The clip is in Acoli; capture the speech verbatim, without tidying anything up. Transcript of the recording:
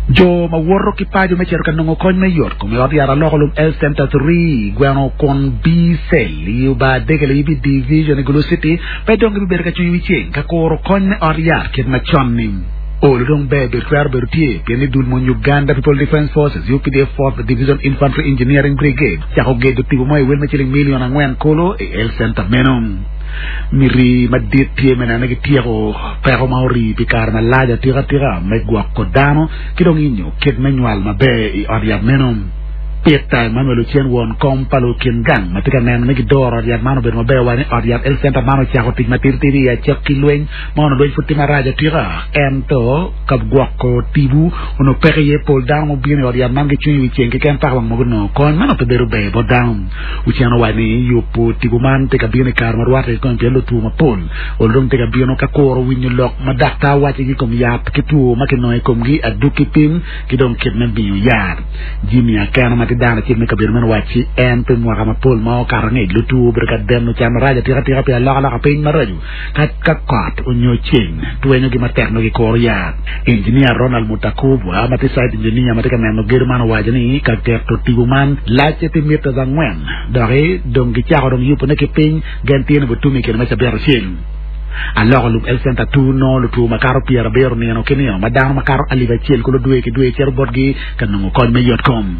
Jo ma woto ki paco me cito ka nongo kony me yot kom i ot yat aloko lum Health Center three gweno kun B cell i Uba Degele Ibi Division i Gulu City pe dong gibibedo ka cwinyo wi ceng ka kuro kony me ot yat kit macon-ni. Olo dong ber bedo twero bedo tye pien ni dul mony Uganda People Defence Forces U P D F fourth Division Infantry Engineering Brigade cako gedo tipo mo i wel me ciling milion angwen kulu i Health Center meno. Miti madit tye me neno ni gityeko peko ma ori pi kare malac atikatika me gwoko dano ki dong inyo kit me nywal maber i ot yat meno. Peter Emmanuel Ocen won kom pa lukin gang ma tye ka neno ni gidoro ot yat man obedo maber owaco ni ot yat Health Center man ocako tic matitidi i acakki lweny ma onongo lweny pud tye marac atika ento ka gwoko tipo onongo peko iye pol dano mubino i ot yat man gicwinyo wi ceng keken paka wang mogo nongo kony man pe bedo ber bot dano. Ocen owaco ni yubo tipo man tye ka bino i kare ma rwatte kikome pien lutwo mapol olo dong tye ka bino ka kuro winyo lok ma daktar wacigi i kom yat ki two ma kinongo i komgi adwogi pim ki dong kit me miyo yat. Jimmy Akeno ma tye dano acel me kabedo meno wacci en pi mwaka mapol ma okato angec lutwo obedo ka deno can marac atikatika pi alokaloka piny maraco ka ka kot onyo ceng twenyogi matek nongo gikuro yat. Engineer Ronald Mutakubwa ma tye site engineer ma tye ka neno gedo man owaco ni ka keto tipo man lacce tye meters angwen doki dong gicako dong yubone ki piny gen tye ni butumi i kine me cabit acel. Aloko lum Health Center two nongo lutwo makato pyerabiro nino ki nino ma dano makato alip acel kulu dwe ki dwe cito botgi ka nongo kony me yot kom.